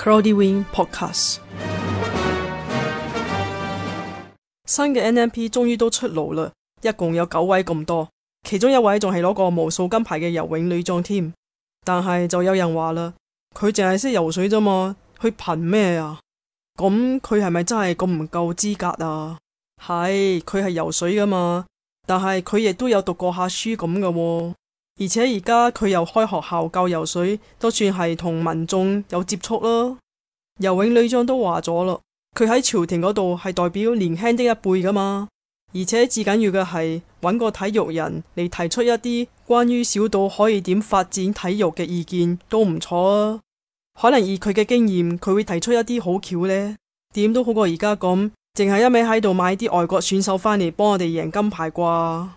Cloudy Wing Podcast。 新嘅 NMP 終於都出爐啦，一共有9位咁多，其中一位仲係攞過無數金牌嘅游泳女將添。但係就有人話啦，佢淨係識游水啫嘛，佢憑咩啊？咁佢係咪真係咁唔夠資格啊？係，佢係游水噶嘛，但係佢亦都有讀過下書咁噶喎。而且而家佢又開學校教游水，都算係同民眾有接觸啦。游泳女將都話咗啦，佢喺朝廷嗰度係代表年輕的一輩噶嘛，而且至緊要嘅係揾個體育人嚟提出一啲關於小島可以點發展體育嘅意見都唔錯啊。可能以佢嘅經驗，佢會提出一啲好橋呢，點都好過而家咁，淨係一味喺度買啲外國選手返嚟幫我哋贏金牌啩。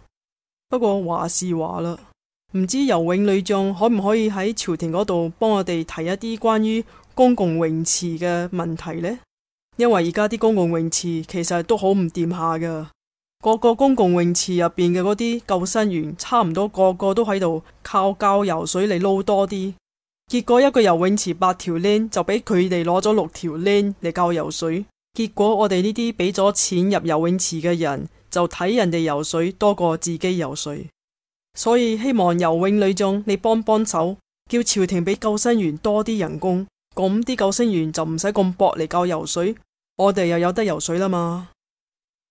不過話是話啦，唔知游泳女將可唔可以喺朝廷嗰度幫我哋提一啲關於公共泳池嘅問題呢？因為而家啲公共泳池其實都好唔掂下噶，個個公共泳池入邊嘅嗰啲救生員差唔多個個都喺度靠教游水嚟撈多啲，結果一個游泳池8條 lane 就俾佢哋攞咗6條 lane 嚟教游水，結果我哋呢啲俾咗錢入游泳池嘅人就睇人哋游水多過自己游水。所以希望游泳女將你幫幫手，叫朝廷俾救生員多啲人工，咁啲救生員就唔使咁搏嚟教游水，我哋又有得游水啦嘛。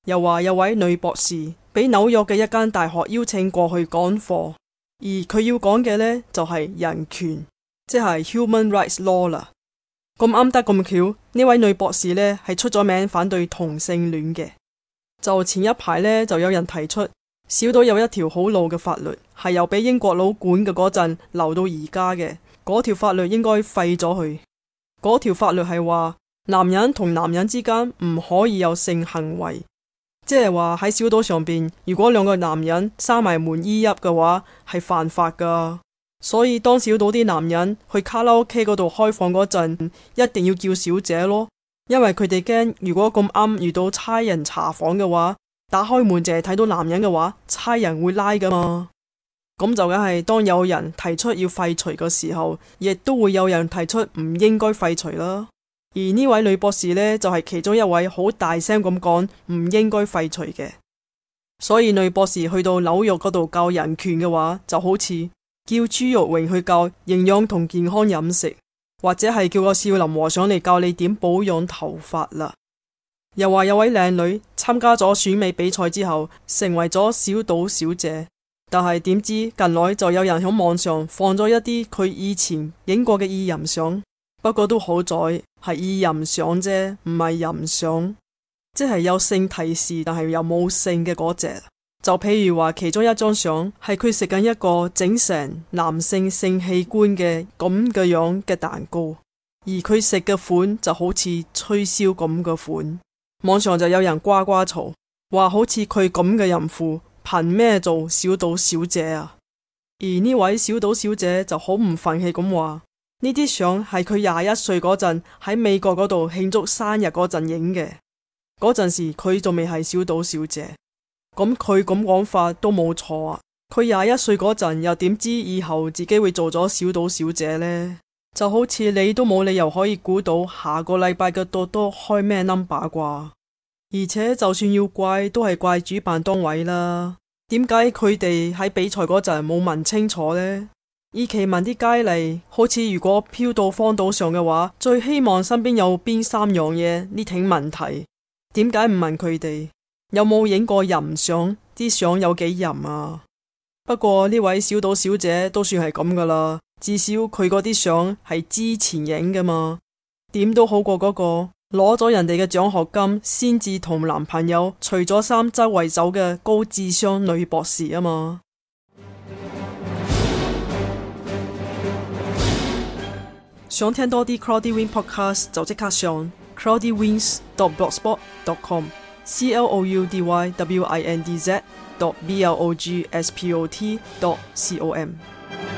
又話有位女博士俾紐約嘅一間大學邀請過去講課，而佢要講嘅呢，就係人權，即係 Human Rights Law 啦。咁啱得咁巧，呢位女博士呢係出咗名反對同性戀嘅。就前一排呢，就有人提出小島有一條好老嘅法律，係由俾英國佬管嘅嗰陣留到而家嘅，嗰條法律應該廢咗佢。嗰條法律係話男人同男人之間唔可以有性行為，即係話喺小島上邊，如果兩個男人閂埋門依泣嘅話係犯法噶。所以當小島啲男人去卡拉 OK 嗰度開房嗰陣，一定要叫小姐咯，因為佢哋驚如果咁啱遇到差人查房嘅話，打開門淨係睇到男人嘅話，差人會拉噶嘛。咁就梗係當有人提出要廢除嘅時候，亦都會有人提出唔應該廢除啦。而呢位女博士呢，就係其中一位好大聲咁講唔應該廢除嘅。所以女博士去到紐約嗰度教人權嘅話，就好似叫朱玉榮去教營養同健康飲食，或者係叫個少林和尚嚟教你點保養頭髮啦。又話有位靚女參加咗選美比賽之後成為咗小島小姐，但係點知近來就有人喺網上放咗一啲佢以前影過嘅意淫相，不過都好在係意淫相啫，唔係淫相，即係有性提示但係又冇性嘅嗰隻。就譬如話其中一張相係佢食緊一個整成男性性器官嘅咁嘅樣嘅蛋糕，而佢食嘅款就好似吹簫咁嘅款。網上就有人呱呱嘈，話好似佢咁嘅淫婦憑咩做小島小姐啊？而呢位小島小姐就好唔忿氣咁話，呢啲相係佢21歲嗰陣喺美國嗰度慶祝生日嗰陣影嘅，嗰陣時佢仲未係小島小姐。咁佢咁講法都冇錯啊！佢21歲嗰陣又點知以後自己會做咗小島小姐呢？就好似你都冇理由可以估到下個禮拜嘅多多開咩 number 啩？而且就算要怪都係怪主辦單位啦。點解佢哋喺比賽嗰陣冇問清楚呢？以其問啲佳麗，好似如果飄到荒島上嘅話，最希望身邊有邊3樣嘢呢？挺問題，點解唔問佢哋有冇影過淫相？啲相有幾淫啊？不過呢位小島小姐都算係咁噶啦，至少佢嗰啲相係之前影噶嘛，點都好過嗰個攞咗人哋嘅獎學金先至同男朋友除咗衫周圍走嘅高智商女博士啊嘛。想聽多啲 Cloudy Wing Podcast 就即刻上 cloudywings.blogspot.com cloudywindz.blogspot.com